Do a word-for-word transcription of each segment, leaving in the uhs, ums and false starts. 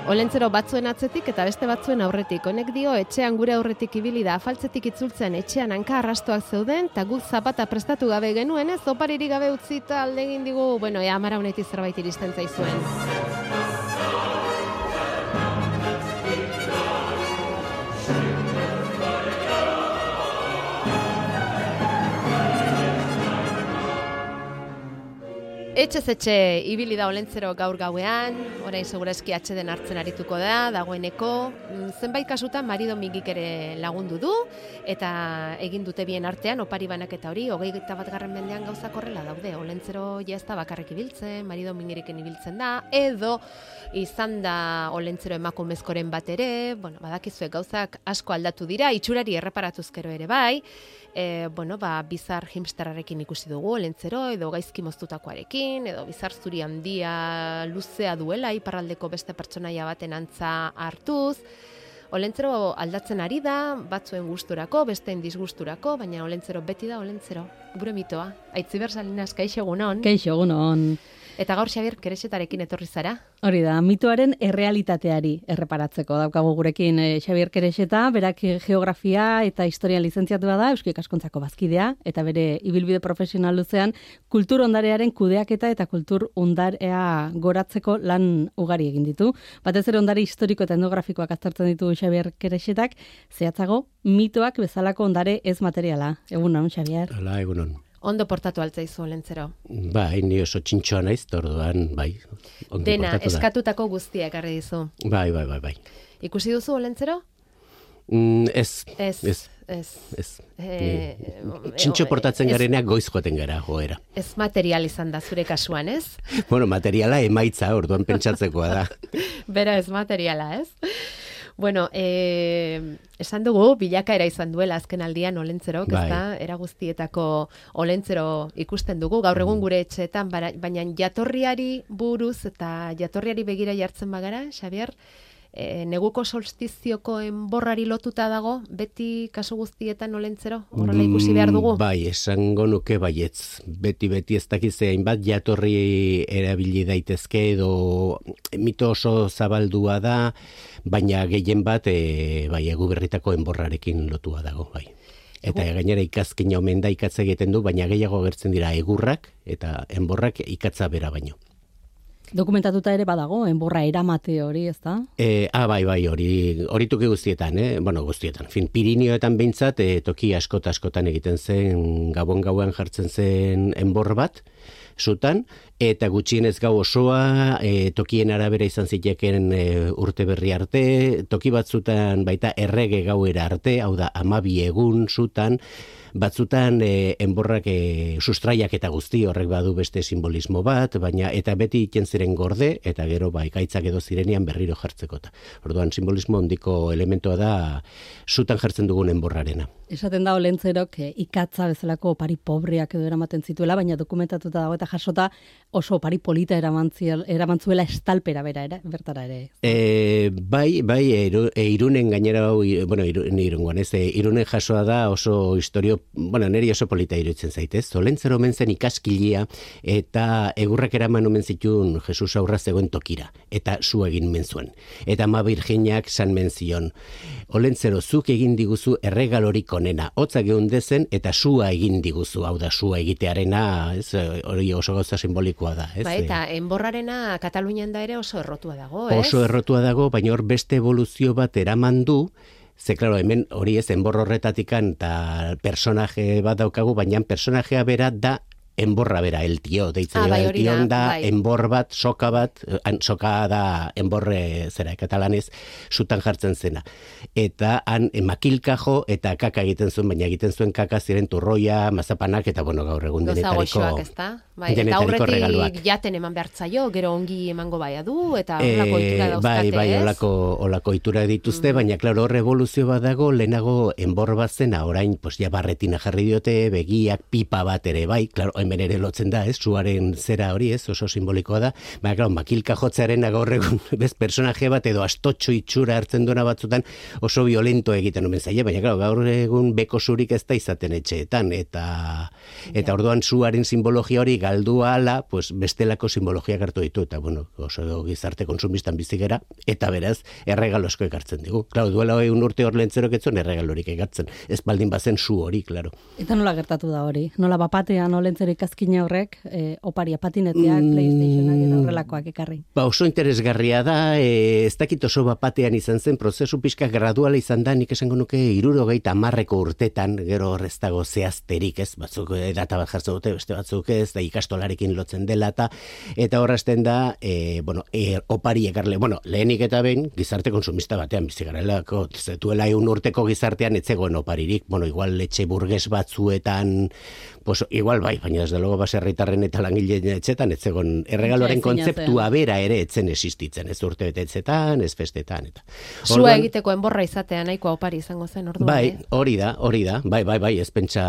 Olentzero batzuen atzetik eta beste batzuen aurretik. Honek dio, etxean gure aurretik ibili da, afaltzetik itzultzen etxean hanka arrastoak zeuden, eta guk zapata prestatu gabe genuen, ez, oparirik gabe utzita aldegin digu, bueno, ea, amara honetik zerbait iristen zaizuen. Etxez etxe ibili da Olentzero gaur gauean, orain segurazki atxeden hartzen arituko da, dagoeneko, zenbait kasutan marido mingik ere lagundu du, eta egin dute bien artean, opari banaketa hori, hogeita bat garren mendean gauzak horrela daude, Olentzero jazta bakarrik ibiltzen, marido mingiriken ibiltzen da, edo izan da Olentzero emakumezkoren bat ere, bueno, badakizue gauzak asko aldatu dira, itxurari erreparatuzkero ere bai, e, bueno, ba, bizar himsterrarekin ikusi dugu Olentzero, edo gaizki moztutakoarekin, edo bizar zuri handia luzea duela iparraldeko beste pertsonaia baten antza hartuz. Olentzero aldatzen ari da, batzuen gusturako, besteen disgusturako, baina Olentzero beti da Olentzero. Gure mitoa. Aitziber Salinas, kaixo egunon. Kaixo egunon. Eta gaur Xabier Kerexetarekin etorri zara. Hori da, mitoaren errealitateari erreparatzeko daukagu gurekin eh, Xabier Kerexeta, berak geografia eta historian lizentziatua da, Eusko Ikaskuntzako bazkidea, eta bere ibilbide profesional luzean kultur ondarearen kudeaketa eta kultur ondarea goratzeko lan ugari egin ditu. Batez ere ondare historiko eta etnografikoak aztertzen ditu Xabier Kerexetak, zehatzago mitoak bezalako ondare ez materiala. Egunon, Xabier. Hala, egunon. Ondo portatu altzaizu Olentzero. Bai, ni oso txintxoa naiz, orduan, bai. Dena, eskatutako guztiak ekarri dizu. Bai, bai, bai, bai. Ikusi duzu Olentzero? Mm, ez, ez, ez, ez. ez. E, Txintxo portatzen gareneak goiz joaten gara, joera. Ez material izan da zure kasuan, ez? Bueno, materiala emaitza, orduan pentsatzekoa da. Bera ez materiala, ez? Bueno, eh, esan dugu, bilakaera izan duela azken aldian Olentzerok, bai. Ezta? Era guztietako Olentzero ikusten dugu, gaur egun gure etxeetan, baina jatorriari buruz eta jatorriari begira jartzen bagara, Xabier, e, neguko solstizioko enborrari lotuta dago, beti kasu guztietan Olentzero, horrela ikusi behar dugu? Mm, bai, esango nuke baietz. Beti-beti ez dakize hainbat jatorri erabili daitezke edo mito oso zabaldua da, baina gehien bat e, bai, Eguberritako enborrarekin lotua dago, bai. Eta Egu... gainera ikazkina omen da ikatza egiten du, baina gehiago agertzen dira egurrak eta enborrak ikatza bera baino. Dokumentatuta ere badago, enborra eramate hori, ez da? E, ah, bai, bai, hori, hori toki guztietan, eh? Bueno, guztietan. Fin, Pirinioetan behintzat, e, toki askota askotan egiten zen, gabon gauan jartzen zen enbor bat, zutan, eta gutxienez gau osoa, e, tokien arabera izan ziteken e, urte berri arte, toki batzutan baita errege gauera arte, hau da, amabi egun zutan, batzutan e, enborrak e, sustraiak eta guzti horrek badu beste simbolismo bat, baina eta beti iten ziren gorde, eta gero ba, ikaitzak edo zirenean berriro jartzekota. Orduan simbolismo ondiko elementoa da zutan jartzen dugun enborrarena. Esaten da Olentzerok e, ikatza bezalako opari pobreak edo eramaten zituela, baina dokumentatuta dago eta jasota oso opari polita eramantzuela estalpera bera, era, bertara ere. E, bai, bai, eru, e, irunen gainera, bueno, irunen, irungoan, ez, e, irunen jasoa da oso historio, bueno, neri oso polita iruditzen zaitez. Olentzero omen zen ikaskilia eta egurrak eraman omen zituen Jesus aurra zegoen tokira, eta zu egin men zuen. Eta ama Virginiak san men zion. Olentzero, zuk egin diguzu erregalorik onena, hotza geundezen eta sua egin diguzu, hau da sua egitearena, ez, hori oso gauza simbolikoa da, ez? Ba, eta enborrarena Katalunian da ere oso errotua dago, ez? Oso errotua dago, baina hor beste evoluzio bat eraman du. Ze, klaro, hemen hori ez enbor horretatikan eta personaje bat daukagu, baina personajea bera da enborra bera, el tio, deitzen ah, bai, el tion da, bai. enbor bat, soka bat, soka da enborre zera, katalanez, zutan jartzen zena. Eta han makilka jo eta kaka egiten zuen, baina egiten zuen kaka ziren turroia, mazapanak, eta bueno, gaur egun denetariko, bai, eta aurretik jaten eman behartzaio, gero ongi emango baia du, eta olako ohitura dauzkate, bai, bai, ez? olako, olako ohitura dituzte, mm. baina, klaro, hor evoluzio bat dago, lehenago enbor bat zena, orain, pues, ja barretina jarri diote, begiak, pipa bat ere, bai, klaro, hemen ere lotzen da, ez, suaren zera hori, ez, oso simbolikoa da, baina, klar, makilka jotzearen gaur egun, bez, personaje bat edo astotxo itxura hartzen duena batzutan oso violento egiten omen zaie, baina, klar, gaur egun beko zurik ez da izaten etxeetan, eta, eta orduan suaren simbologia hori galdu ahala, pues, bestelako simbologiak hartu ditu, eta, bueno, oso gizarte konsumistan bizigera, eta beraz, erregalosko ekartzen digu. Klar, duela egun urte hor lentzerok etzuen erregalorik ekartzen, ez baldin bazen su hori, klaro. Eta nola gertatu da hori? Nola bapatean olentzero ikazkina horrek, e, oparia patineteak, mm, PlayStationak eta horrelakoak ekarri? Ba, oso interesgarria da, e, ez dakit oso bapatean izan zen, prozesu pixka graduala izan da, nik esango nuke hirurogeita hamarreko urtetan, gero horrez dago zehazterik, ez, batzuk data bat jartzen dute, beste batzuk ez, da ikastolarekin lotzen dela, eta, eta horrazten da, e, bueno, e, opari ekarle, bueno, lehenik eta behin, gizarte konsumista batean bizigarelako, zetuela egun urteko gizartean etzegoen oparirik, bueno, igual etxe burges batzuetan, pues igual bai, baina desde luego baserritarren eta langileen etxetan etzegon erregaloren kontzeptua bera ere etzen existitzen, ez urte betetzetan, ez festetan eta. Sua egiteko enborra izatea nahikoa opari izango zen orduan. Bai, eh? hori da, hori da. Bai, bai, bai, ez pentsa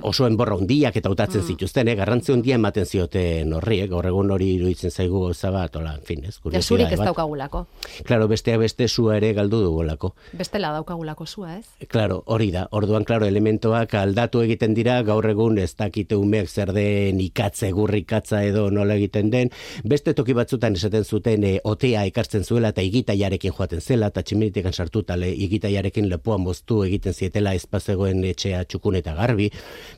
oso enborra hundiak eta utatzen mm. zituzten, eh, garrantzi hundia ematen zioten horri, eh, gaur egun hori iruditzen zaigu gauza bat, hola, en fin, ez. Zurik ez daukagulako. Claro, besteak beste sua ere galdu dugulako. Bestela daukagulako sua, ez? Claro, hori da. Orduan, claro, elementoak aldatu egiten dira, gaur egun ez dakite umeak zer den ikatze, gurrikatza edo nola egiten den. Beste toki batzutan esaten zuten e, otea ekartzen zuela eta igitaiarekin joaten zela, eta tximinitikan sartuta le, igitaiarekin lepoa moztu egiten zietela espazegoen etxea txukun eta garbi.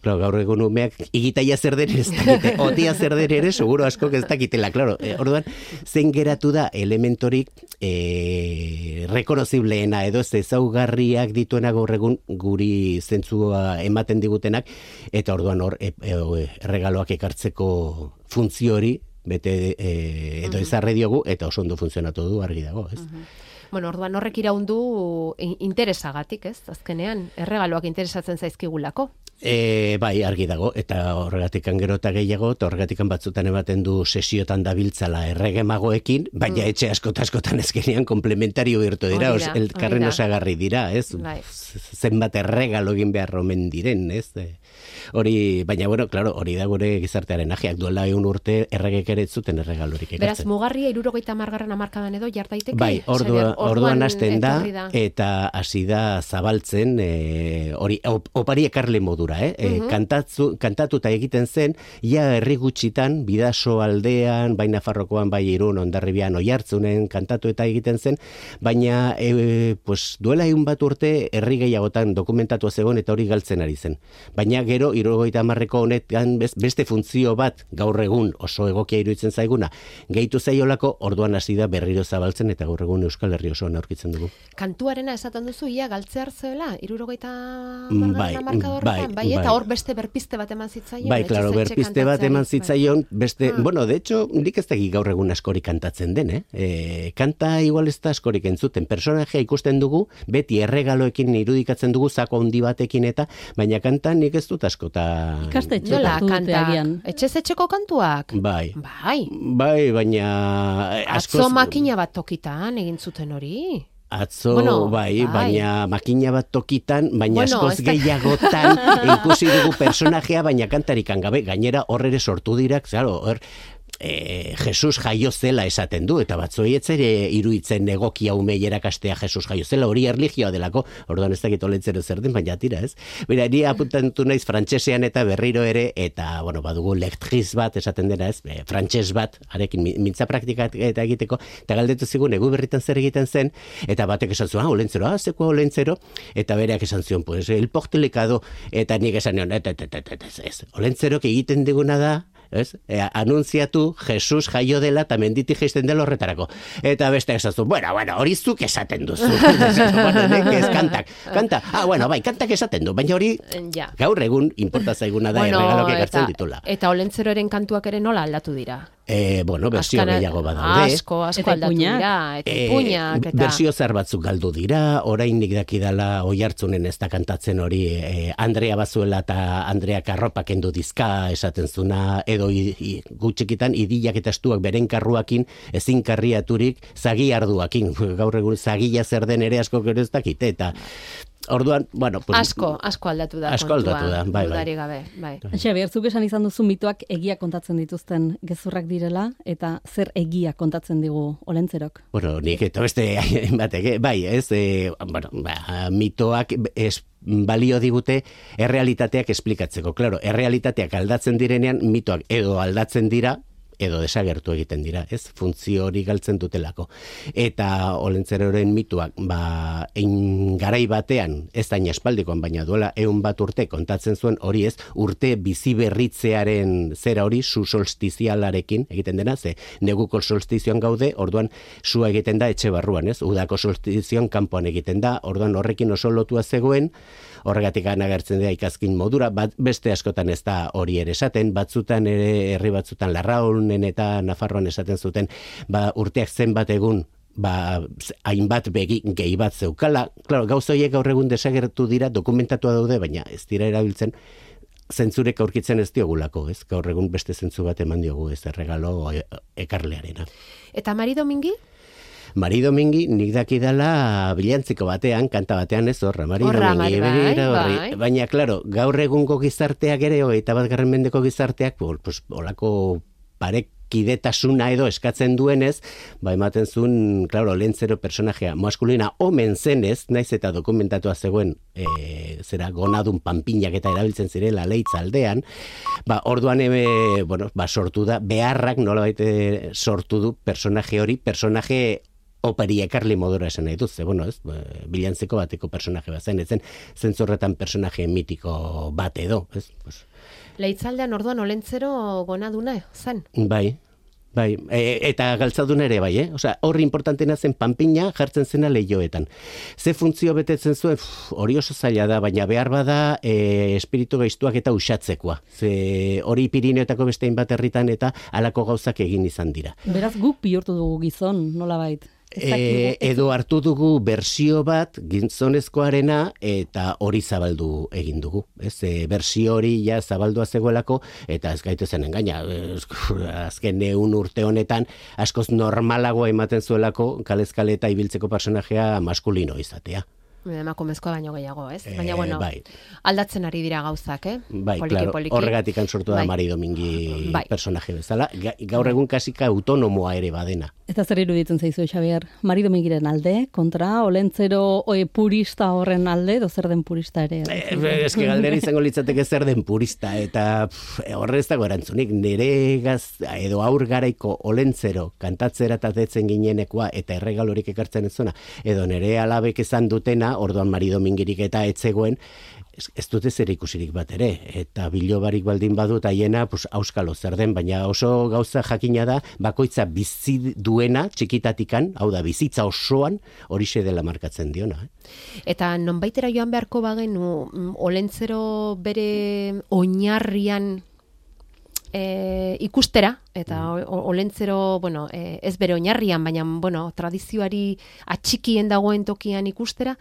Claro, gaur egun umeak igitaia zer den ez dakite, otea zer den ere, seguro asko ez dakitela, claro. E, orduan, zen geratu da elementorik e, rekonozibleena edo ez ezaugarriak dituena gaur egun guri zentzua ematen digutenak, eta orduan hor e, e, erregaloak ekartzeko funtzio hori bete e, edo uh-huh. ezarri diogu, eta oso ondo funtzionatu du argi dago, ez? Uh-huh. Bueno, orduan horrek iraundu interesagatik, ez? Azkenean, erregaloak interesatzen zaizkigulako. E, bai, argi dago, eta horregatikan gero eta gehiago, eta horregatikan batzutan ematen du sesiotan dabiltzala erregemagoekin, baina mm. etxe askota askotan ezkenean komplementario birtu dira, os, elkarren osagarri dira, ez? Bai. Zenbat erregalo egin behar omen diren, ez? Hori, baina, bueno, claro, hori da gure gizartearen ajeak, duela egun urte erregek ere zuten erregalorik ekartzen. Beraz, mugarria hirurogeita hamargarren hamarkadan edo jardaiteke? Bai, ordua, orduan hasten da, da, eta hasi da zabaltzen, hori, e, op, opari ekarle modura. Eh? Uh-huh. Kantatzu, kantatuta egiten zen, ja herri gutxitan, Bidaso aldean, bai Nafarrokoan, bai Irun, Hondarribian, Oiartzunen kantatu eta egiten zen, baina e, pues, duela egun bat urte herri gehiagotan dokumentatu zegoen eta hori galtzen ari zen. Baina gero, hirurogeita hamarreko honetan beste funtzio bat gaur egun oso egokia iruditzen zaiguna, gehitu zaiolako orduan hasi da berriro zabaltzen eta gaur egun Euskal Herri osoan aurkitzen dugu. Kantuarena esaten duzu, ia galtzea hartzeela, hirurogeita bai, hamarkada horretan, bai, eta hor beste berpiste bat eman zitzaion. Bai, claro, berpiste bat eman zitzaion, beste, ah. bueno, de hecho, nik ez dakik gaur egun askorik kantatzen den, eh? E, kanta igual ez da askorik entzuten, personajea ikusten dugu, beti erregaloekin irudikatzen dugu, zako handi batekin eta, baina kanta nik ez dut askota... Ikastetxe kantak, etxez etxeko kantuak? Bai. Bai. Bai, baina... Atzo makina bat tokitan egin zuten hori. Atzo, bueno, bai, bai, baina makina bat tokitan, baina bueno, askoz gehiagotan ikusi dugu personajea, baina kantarikan gabe, gainera horre ere sortu dirak, claro, hor, E, Jesus jaio zela esaten du, eta batzoi etzere iruitzen egokia umei erakastea Jesus jaio zela, hori erlijioa delako, orduan ez dakit olentzero zer den, baina tira, ez? Bera, ni apuntantu naiz frantsesean eta berriro ere, eta, bueno, badugu lektriz bat esaten dena, ez? E, frantses bat, arekin mintza praktika eta egiteko, eta galdetu zigun, egu berritan zer egiten zen, eta batek esan zuen, ah, olentzero, ah, zeko olentzero, eta bereak esan zion, pues, el portelikado, eta nik esan nion, et, et, et, et, et, ez, olentzerok egiten diguna da, ez? E, anunziatu Jesus jaio dela eta menditi jaisten dela horretarako. Eta beste esazu, bueno, bueno, hori zuk esaten duzu. Bueno, nek ez kantak. Kanta, ah, bueno, bai, kantak esaten du, baina hori ja. Gaur egun inporta zaiguna da bueno, erregalok ekartzen ditula. Eta olentzeroren kantuak ere nola aldatu dira? E, bueno, berzio gehiago badaude. Asko, asko aldatu dira, eta ipuñak. E, berzio zer batzuk galdu dira, orainik dakidala Oiartzunen ez da kantatzen hori e, Andrea Bazuela eta Andrea Karropak kendu dizka esaten zuna, edo i, i, gutxikitan idilak eta estuak beren karruakin ezin karriaturik zagi arduakin. Gaur egun zagia zer den ere asko gero ez dakite, eta Orduan, bueno, pues, asko, asko aldatu da asko aldatu da, bai, bai. Dudarik gabe, bai. Xabier, zuk esan izan duzu mitoak egia kontatzen dituzten gezurrak direla, eta zer egia kontatzen digu Olentzerok? Bueno, nik eta beste batek, bai, ez, e, bueno, ba, mitoak ez balio digute errealitateak esplikatzeko. Claro, errealitateak aldatzen direnean, mitoak edo aldatzen dira, edo desagertu egiten dira, ez? Funtzio hori galtzen dutelako. Eta Olentzeroren mituak, ba, ein garai batean, ez da inaspaldikoan, baina duela eun bat urte kontatzen zuen hori ez, urte bizi berritzearen zera hori, su solstizialarekin egiten dena, ze neguko solstizioan gaude, orduan sua egiten da etxe barruan, ez? Udako solstizioan kanpoan egiten da, orduan horrekin oso lotua zegoen, horregatik agertzen da ikazkin modura, bat, beste askotan ez da hori ere esaten, batzutan ere herri batzutan Larraunen eta Nafarroan esaten zuten, ba, urteak zenbat egun, ba, hainbat begi gehi bat zeukala. Claro, gauza horiek gaur egun desagertu dira, dokumentatua daude, baina ez dira erabiltzen, zentzurek aurkitzen ez diogulako, ez? Gaur egun beste zentzu bat eman diogu ez erregalo ekarlearena. Eta Mari Domingi? Mari Domingi nik dakidala bilantziko batean, kanta batean ez horra, Mari Horra, Domingi, bai, begira, bai. horri. Baina, klaro, gaur egungo gizarteak ere, hogeita bat garren mendeko gizarteak, pues, olako parekidetasuna edo eskatzen duenez, ba, ematen zuen, klaro, Olentzero personajea maskulina omen zenez, naiz eta dokumentatua zegoen, e, zera, gonadun panpinak eta erabiltzen zirela leitz aldean, ba, orduan, e, bueno, ba, sortu da, beharrak nolabait sortu du personaje hori, personaje operi ekarli modura esan nahi duz, ze, bueno, ez, bilantzeko bateko personaje bat zen, ezen zentzorretan personaje mitiko bat edo, ez? Pues. Leitzaldean orduan Olentzero gonaduna zen? Bai, bai, e, eta galtzadun ere bai, eh? Osea, horri importantena zen panpina jartzen zena lehioetan. Ze funtzio betetzen zuen, pff, hori oso zaila da, baina behar bada e, espiritu gaiztuak eta usatzekoa. Ze hori Pirineotako beste hainbat herritan eta halako gauzak egin izan dira. Beraz guk bihurtu dugu gizon, nolabait. E, edo hartu dugu bersio bat gizonezkoarena eta hori zabaldu egin dugu. Ez, e, bersio hori ja zabaldua zegoelako eta ez gaitezen engaina. Azken eun urte honetan askoz normalagoa ematen zuelako kalezkale eta ibiltzeko personajea maskulino izatea. Emakumezkoa baino gehiago, ez? Baina, bueno, e, bai. aldatzen ari dira gauzak, eh? Bai, poliki, claro, poliki. horregatik sortu da Bai. Mari Domingi Bai. personaje bezala. Ga, gaur egun kasika autonomoa ere badena. Eta zer iruditzen zaizu, Xabier? Mari Domingiren alde, kontra, Olentzero oe, purista horren alde, edo zer den purista ere? Eh, eske galdera izango litzateke zer den purista, eta pff, horrez dago erantzunik, nire gaz, edo aur garaiko Olentzero kantatzera eta detzen ginenekoa eta erregalorik ekartzen ez zona, edo nire alabek esan dutena, orduan Mari Domingirik eta etzegoen, ez, ez dute zer ikusirik bat ere, eta bilobarik baldin badut haiena, pues, auskalo zer den, baina oso gauza jakina da, bakoitza bizi duena, txikitatikan, hau da, bizitza osoan, horixe dela markatzen diona. Eh? Eta nonbaitera joan beharko bagenu, mm, Olentzero bere oinarrian e, ikustera, eta o, Olentzero, bueno, e, ez bere oinarrian, baina, bueno, tradizioari atxikien dagoen tokian ikustera,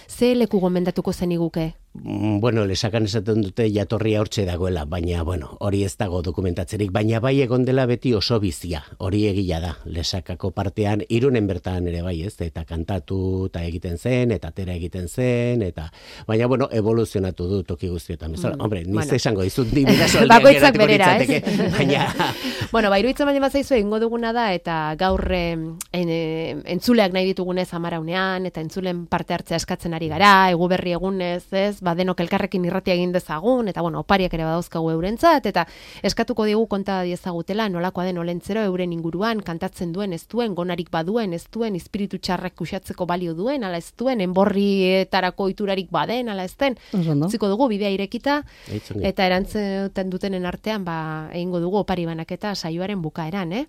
ze leku gomendatuko zeniguke? Bueno, lesakan esaten dute jatorria hortxe dagoela, baina, bueno, hori ez dago dokumentatzerik, baina bai egon dela beti oso bizia, hori egia da, lesakako partean, Irunen bertan ere bai ez, eta kantatu eta egiten zen, eta atera egiten zen, eta, baina, bueno, evoluzionatu du toki guztietan, bezala, mm, hombre, niz bueno. esango dizut, ni bidasoldiak bakoitzak berera, ez? Baina... bueno, ba, iruditzen baina bazaizu egingo duguna da, eta gaur en, en, entzuleak nahi ditugunez amaraunean, eta entzulen parte hartzea eskatzen ari gara, egu berri egunez, ez, ba, denok elkarrekin irratia egin dezagun, eta bueno, opariak ere badauzkagu eurentzat, eta eskatuko digu konta diezagutela nolakoa den Olentzero euren inguruan, kantatzen duen, ez duen, gonarik baduen, ez duen, espiritu txarrak kuxatzeko balio duen, ala ez duen, enborrietarako iturarik baden, ala ez den, utziko dugu bidea irekita, eta erantzuten dutenen artean, ba, egingo dugu opari banaketa saioaren bukaeran, eh?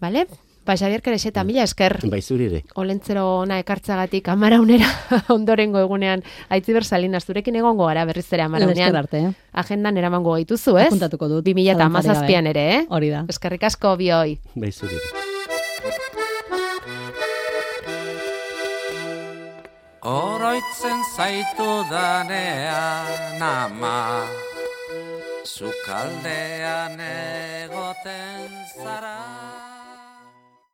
Bale? Ba, Xabier Kerexeta, mila esker. Bai, zurire. Olentzero ona ekartzagatik amaraunera ondorengo egunean Aitziber Salinas zurekin egongo gara berriz ere amaraunean. Arte, eh? Agendan eramango gaituzu, ez? Apuntatuko dut. bi mila hamazazpian ere, eh? Hori da. Eskerrik asko bioi. Bai, zurire. Oroitzen zaitu danean ama, sukaldean egoten zara.